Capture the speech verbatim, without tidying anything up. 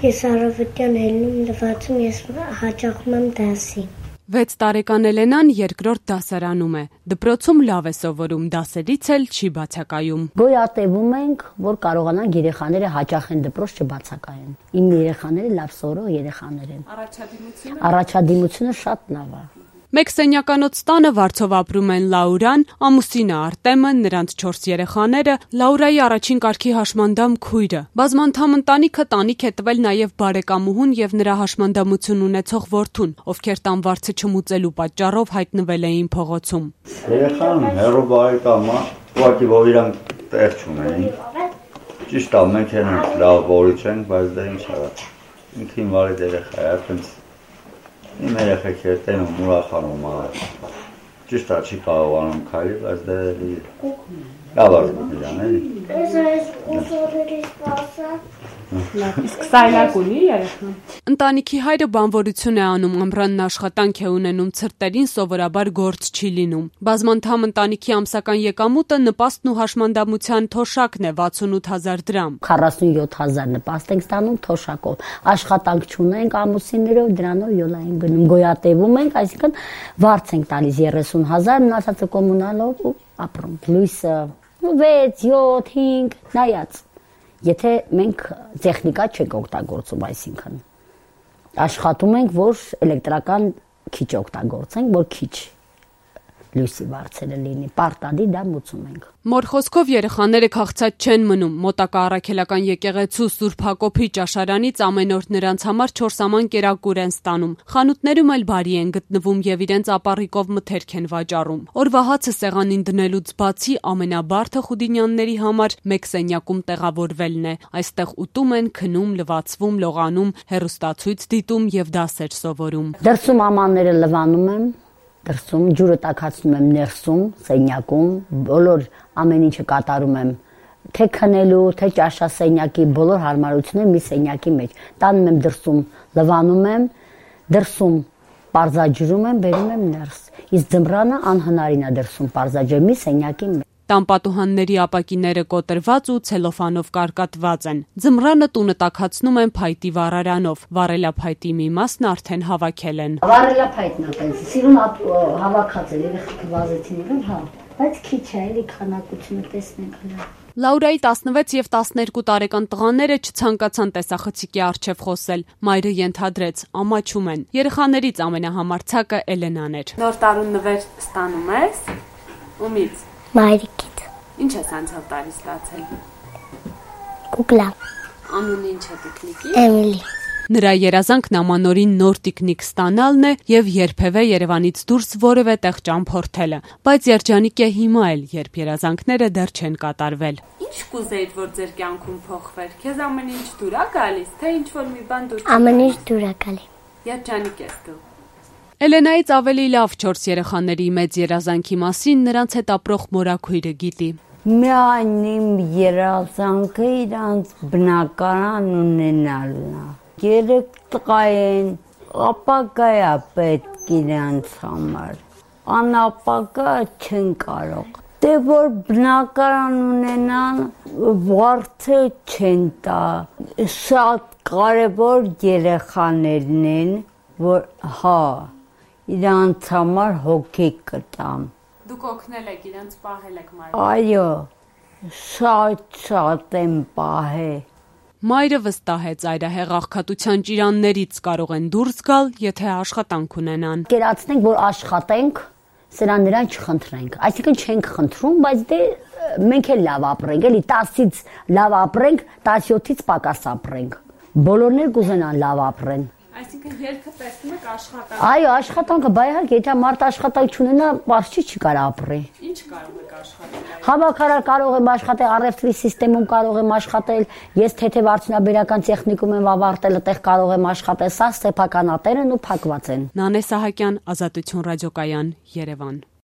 Ես առավոտյան ելնում, լվացում, ես հաճախում եմ դասի։ վեց տարեկան Էլենան երկրորդ դասարանում է։ Դպրոցում լավ է սովորում, դասերից էլ չի բացակայում։ Գոյատևում ենք, որ կարողանանք երեխաները հաճախեն դպրոց չբացակայեն։ Իմ երեխաները լավ սովորող երեխաներ են։ Առաջադիմությունը Առաջադիմությունը շատ լավ է։ Մեկ սենյականոց տանը վարձով ապրում են Լաուրան, ամուսինը Արտեմը, նրանց չորս երեխաները, Լաուրայի առաջին կարգի հաշմանդամ քույրը։ Բազմանդամ ընտանիքը տանիք է տվել նաև բարեկամուհուն եւ նրա հաշմանդամություն ունեցող որդուն, ովքեր տան վարձը չմուծելու պատճառով հայտնվել էին փողոցում։ Երեխան հերո բարեկամը, ուղղակի որ իրանք տեղ չունեին։ Ճիշտ է, մենք ենք լավ որից ենք, բայց դա ինչ արա։ Ինքին վարի երեխա է, այդպես Իմ երեխեքերը տենում ուրախանում է, ճիշտ է չի կարողանում քայլի, բայց դա լավ է իրան էլի։ Ես այս ուսորերից սպասա։ Իսկ սայլակ ունի երեխան։ Ընտանիքի հայրը բանվորություն է անում, ամռանն աշխատանք է ունենում, ցրտերին սովորաբար գործ չի լինում։ Բազմանդամ ընտանիքի ամսական եկամուտը նպաստն ու հաշմանդամության թոշակն է վաթսունութ հազար դրամ։ քառասունյոթ հազար նպաստ ենք ստանում թոշակով։ Աշխատանք չունենք ամուսիններով, դրանով յոլա ենք գնում, գոյատևում ենք, այսինքն վարձ ենք տալիս երեսուն հազար, մնացածը կոմունալով ու ապրում։ Լույսը վեց, յոթ, հինգ, նայած։ Եթե մենք տեխնիկա չենք օգտագործում, այսինքն աշխատում ենք, որ էլեկտրական քիչ օգտագործենք, որ քիչ լույսի վարձերը լինի, պարտադի դա մուծում ենք։ Մոր խոսքով երեխաները քաղցած չեն մնում, մոտակա առաքելական եկեղեցու Սուրբ Հակոբի ճաշարանից ամեն օր նրանց համար չորս աման կերակուր են ստանում։ Խանութներում էլ բարի են գտնվում եւ իրենց ապառիկով մթերք են վաճառում։ Օրվա հացը սեղանին դնելուց բացի ամենաբարդը խուդինյանների համար մեկ սենյակում տեղավորվելն է։ Այստեղ ուտում են, քնում, լվացվում, լողանում, հեռուստացույց դիտում եւ դասեր սովորում։ Դրսում ամանները լվանում եմ, դրսում ջուրը տաքացնում եմ ներսում, սենյակում, բոլոր ամեն ինչը կատարում եմ, թե քնելու, թե ճաշասենյակի բոլոր հարմարությունները մի սենյակի մեջ։ Տանում եմ դրսում, լվանում եմ, դրսում պարզաջրում եմ, բերում եմ ներս։ Իսկ ձմռանը անհնարին է դրսում պարզաջրել մի սենյակի մեջ։ Տան պատուհանների ապակիները կոտրված ու ցելոֆանով կարկատված են։ Ձմռանը տունը տաքացնում են փայտի վառարանով։ Վառելափայտի մի մասն արդեն հավաքել են։ Վառելափայտն է տենց, սիրուն հավաքած է, երեխեքը վազեցին իրեն, հա, բայց քիչ է, էլի քանակությունը տեսնենք հələ։ Լաուրայի տասնվեց եւ տասներկու տարեկան տղաները չցանկացան տեսախցիկի առջև խոսել։ Մայրը ենթադրեց, ամաչում են։ Երեխաներից ամենահամարցակը Էլենան էր։ Նոր տարուն նվեր ստանում ես։ Ումից։ Մայրիկից։ Ինչ ես անցյալ տարի ստացել։ Կուկլա։ Անունը ինչ է տիկնիկի։ Էմիլի։ Նրա երազանքն ամանորին նոր տիկնիկ ստանալն է եւ երբևէ Երևանից դուրս որևէ տեղ ճամփորդելը, բայց երջանիկ է հիմա էլ, երբ երազանքները դեռ չեն կատարվել։ Ինչ կուզեիր, որ ձեր կյանքում փոխվեր։ Քեզ ամեն ինչ դուր է գալիս, թե ինչ որ մի բան դուր։ Ամեն ինչ դուր է գալի։ Երջանիկ ես դու։ Էլենայից ավելի լավ չորս երեխաների մեծ երազանքի մասին նրանց հետ ապրող մորաքույրը գիտի։ Միայն իմ երազանքը իրանց բնակարան ունենալն է։ Երեք տղա են, ապագա է պետք իրանց համար, անապագա չեն կարող։ Դե որ բնակարան ունենան, վարձը չեն տա, շատ կարևոր երեխաներն են, որ հա, իրանց համար հոգի կտամ։ Դուք օգնել եք, իրանց պահել եք մայրը։ Այո, շատ-շատ եմ պահել։ Մայրը վստահեց այրահեղ աղքատության ճիրաններից կարող են դուրս գալ, եթե աշխատանք ունենան։ Կերացնենք, որ աշխատենք, սրան նրան չխնդրենք։ Այսինքն չենք խնդրում, բայց դե մենք էլ լավ ապրենք, էլի տասից լավ ապրենք, տասյոթից պակաս ապրենք։ Բոլորն էլ կուզենան լավ ապրեն։ Այսինքն երգը տեսնում եք աշխատանք։ Այո, աշխատանքը, բայ իհարկե, եթե մարդ աշխատանք չունենա, պարզ չի կարող ապրի։ Ինչ կարող եք աշխատել։ Հավաքարար կարող եմ աշխատել, առևտրի սիստեմում կարող եմ աշխատել, ես թեթև արդյունաբերական տեխնիկում եմ ավարտել, այդտեղ կարող եմ աշխատել, սա սեփականատեր են ու փակված են։ Նանե Սահակյան, Ազատություն ռադիոկայան, Երևան։